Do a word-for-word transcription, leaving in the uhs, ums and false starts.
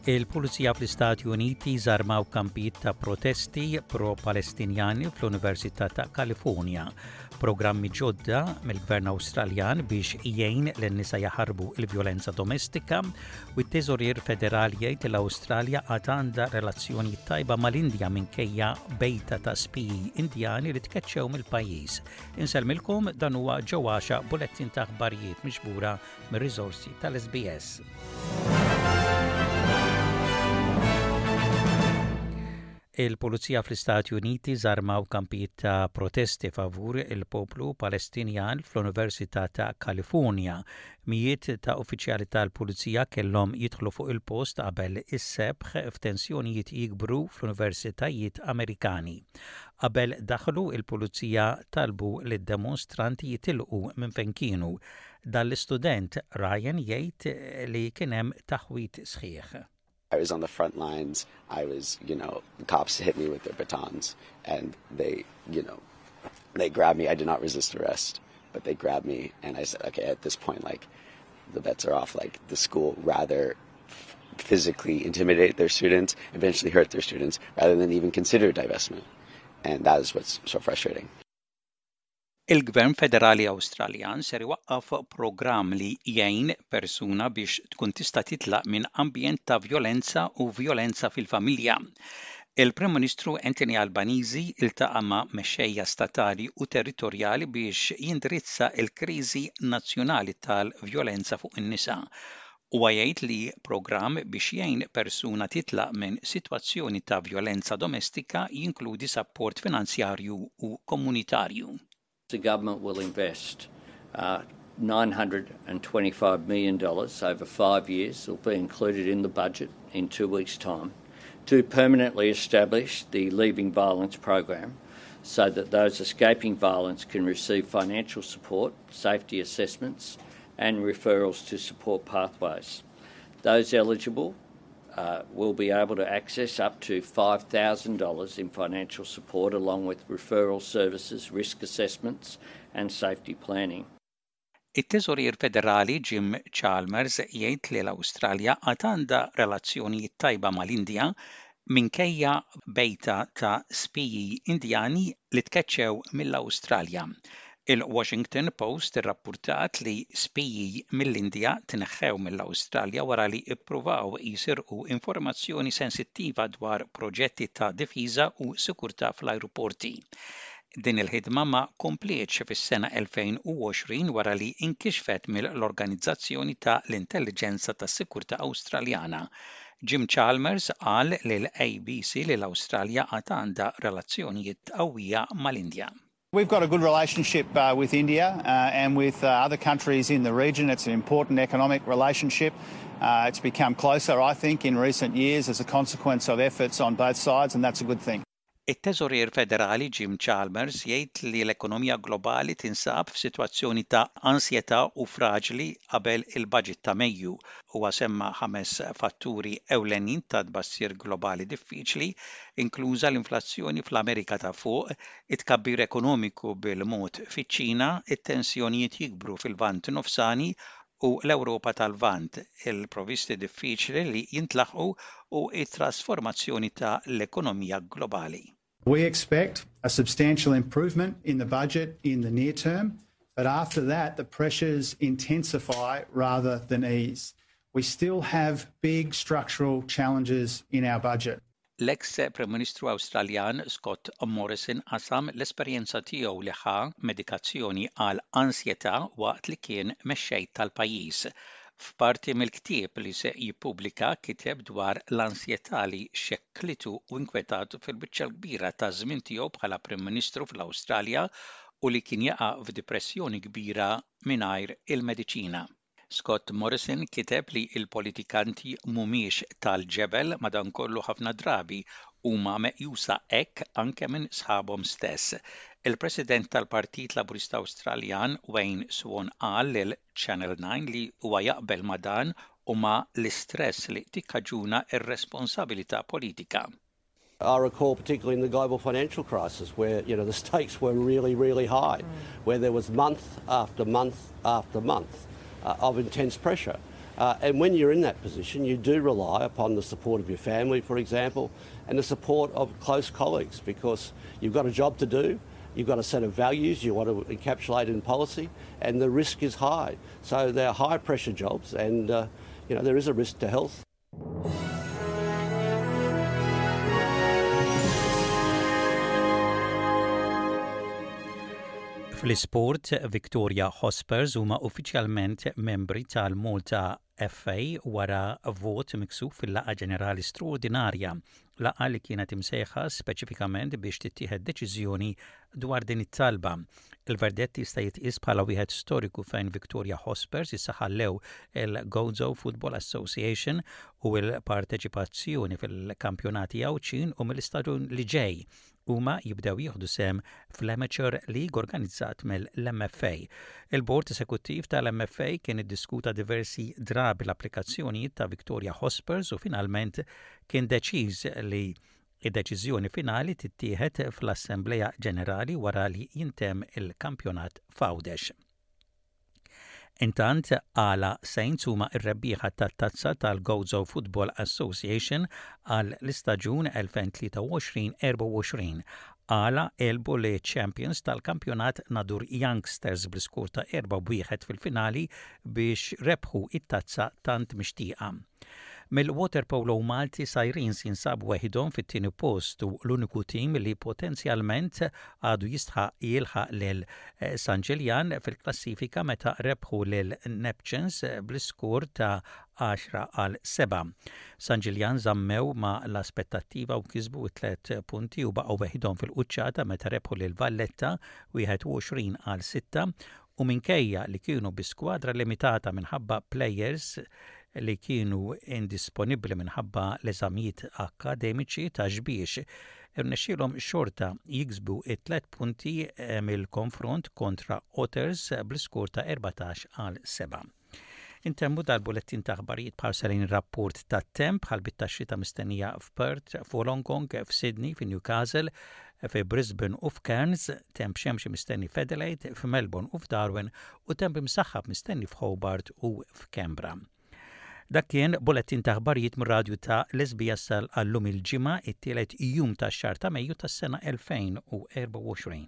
Il-Pulizija fl-Istati Uniti żarmaw kampijiet ta' protesti pro-Palestinjani fl-Università ta' Kalifornja. Programmi ġodda mill-Gvern Awstraljan biex jgħin lin-nisa jaħarbu il-vjolenza domestika u t-Teżorier Federali jgħid l-Awstralja għad għandha relazzjoni tajba mal-Indja minkejja bejta ta' spiji Indjani li tkeċċew mill-pajjiż. Insellmilkom, dan huwa ġewwaxa bulettin ta' aħbarijiet miġbura mir-riżorsi tal-S B S. Il-Pulizija fl-Istati Uniti żarmaw kampijiet ta' protesti favur il-poplu Palestinjan fl-Università ta' Kalifornja. Mijiet ta' uffiċjali tal-Pulizija kellhom jidħlu fuq il-post qabel is-sebħ f'tensjonijiet jikbru fl-universitajiet Amerikani. Qabel daħlu, il-Pulizija talbu lid-demonstranti jitilqu minn fejn kienu. Dan l-istudent Ryan jgħid li kien hemm taħwit sħiħ. I was on the front lines. I was, you know, the cops hit me with their batons and they, you know, they grabbed me. I did not resist arrest, but they grabbed me and I said, "Okay, at this point, like, the bets are off." Like, the school rather physically intimidate their students, eventually hurt their students, rather than even consider divestment. And that is what's so frustrating. Il-Gvern Federali Awstraljan ser iwaqqaf programm li jgħin persuna biex tkun tista' titlaq minn ambjent ta' vjolenza u vjolenza fil-familja. Il-Prim Ministru Anthony Albanese iltaqa' ma' mexxejja statali u territorjali biex jindirizza l-kriżi nazzjonali tal-vjolenza fuq in-nisa. Huwa jgħid li programm biex jgħin persuna titlaq minn sitwazzjoni ta' vjolenza domestika jinkludi sapport finanzjarju u komunitarju. The government will invest uh, nine hundred twenty-five million dollars over five years. It'll be included in the budget in two weeks' time to permanently establish the Leaving Violence program so that those escaping violence can receive financial support, safety assessments, and referrals to support pathways. Those eligible uh, will be able to access up to five thousand dollars in financial support along with referral services, risk assessments and safety planning. It-Teżorier Federali Jim Chalmers jgħid li l-Awstralja għad għandha relazzjonijiet tajba mal-Indja minkejja bejta ta' spiji Indjani li tkeċċew mill-Awstralja. Il-Washington Post irrappurtat li spiji mill-Indja tneħħew mill-Awstralja wara li ippruvaw jisirqu informazzjoni sensittiva dwar proġetti ta' difiża u sikurtà fl-ajruporti. Din il-ħidma ma komplietx fis-sena elfejn u għoxrin wara li inkixfet mill-Organizzazzjoni ta' l-Intelligenza tas-Sikurtà Awstraljana. Jim Chalmers qal lil A B C li l-Awstralja għad għandha relazzjonijiet qawwija mal-Indja. We've got a good relationship uh, with India uh, and with uh, other countries in the region. It's an important economic relationship. Uh, it's become closer, I think, in recent years as a consequence of efforts on both sides, and that's a good thing. It-Teżorier Federali Jim Chalmers jgħid li l-ekonomija globali tinsab f'sitwazzjoni ta' ansjetà u fraġli qabel il-budget ta' Mejju. Huwa semma ħames fatturi ewlenin ta' tbassir globali diffiċli, inkluża l-inflazzjoni fl-Amerika ta' Fuq, it-tkabbir ekonomiku bil-mod fiċ-Ċina, it-tensjonijiet jikbru fil-Lvant Nofsani u l-Ewropa tal-Lvant, il-provisti diffiċli li jintlaħqu u it-trasformazzjoni ta' l-ekonomija globali. We expect a substantial improvement in the budget in the near term, but after that, the pressures intensify rather than ease. We still have big structural challenges in our budget. L-ex Prim Ministru Awstraljan Scott Morrison qasam l-esperjenza tiegħu li ħa medikazzjoni għal ansjetà waqt li kien mexxej tal-pajjiż. F'parti mill-ktieb li se jippubblika kiteb dwar l-ansjetà li xekklitu u inkwetatu fil-biċċa kbira ta' żmien tiegħu bħala Prim Ministru fl-Awstralja u li kien jaqa' f'depressjoni kbira mingħajr il-mediċina. Scott Morrison kiteb li il-politikanti mhumiex tal-ġebel, madankollu ħafna drabi huma meqjusa hekk anke minn sħabhom stess. Il-President tal-Partit Laburista Awstraljan Wayne Swan qal lil Channel nine li huwa jaqbel ma' dan u ma' l-istress li tikkaġuna ir-responsabilità politika. I recall particularly in the global financial crisis where you know the stakes were really, really high, mm. where there was month after month after month uh, of intense pressure. Uh, and when you're in that position, you do rely upon the support of your family, for example, and the support of close colleagues, because you've got a job to do, you've got a set of values you want to encapsulate in policy, and the risk is high. So they're high pressure jobs, and uh, you know, there is a risk to health. Fl-isport, Victoria Hotspurs huma uffiċjalment membri tal-Malta F A wara vot miksub fil-laqgħa ġenerali straordinarja, laqgħa li kienet imsejħa speċifikament biex tittieħed deċiżjoni dwar din it-talba. Il-verdett jista' jitqies bħala wieħed storiku fejn Victoria Hotspurs issa ħallew il-Gozo Football Association u l-parteċipazzjoni fil-kampjonati Għawdxin u mill-istaġun li ġej huma jibdew jieħdu sehem fl-Amateur League organizzat mill-M F A. Il-Bord Esekuttiv tal-M F A kien iddiskuta diversi drabi l-applikazzjonijiet ta' Victoria Hotspurs u finalment kien deċiż li id-deċiżjoni finali tittieħed fl-Assembleja Ġenerali wara li jintemm il-kampjonat f'Għawdex. Intant, Qala Saints huma r-rebbieħa tat-tazza tal-Gozo Football Association għal l-istaġun elfejn tlieta u għoxrin erbgħa u għoxrin. Qala għelbu liċ-champions tal-kampjonat Nadur Youngsters bl-iskur ta' erba' wieħed fil-finali biex rebħu it-tazza tant mixtieqa. Mill-waterpolo Malti, Sirens jinsabu weħidhom fit-tieni post u l-uniku tim li potenzjalment għadu jistħaq jilħaq lil eh, San Ġiljan fil-klassifika meta rebħu lil Neptunes bl-iskur ta' għaxra għal sebgħa. San Ġiljan żammew ma l-aspettattiva u kisbu tlet punti u baqgħu weħidhom fil-quċċata meta rebħu lil Valletta wieħed u għoxrin għal sitta u minkejja li kienu bi skwadra limitata minħabba players li kienu indisponibbli minħabba l-eżamijiet akademiċi ta' Xbiex, irnexxielhom xorta jiksbu it-tlet punti eh, mill-konfront kontra Otters bl-iskur ta' erbatax għal sebgħa. Intemmu dal-bulettin ta' aħbarijiet b'ħarsa lejn rapport ta' temp. Ħalbiet ta' xita mistennija f'Perth, f'Wollongong, f'Sydney, f'Newcastle, fi Brisbane u f'Cairns, temp xemxi mistenni f'Adelaide, f'Melbourne u f'Darwin u temp imsaħħab mistenni f'Hobart u f'Canberra. Dak kien bulettin ta' aħbarijiet mir-radju ta' l-S B S għal-lum il-Ġimgħa, it-tielet jum tax-xahar ta' Mejju tas-sena elfejn u erbgħa u għoxrin.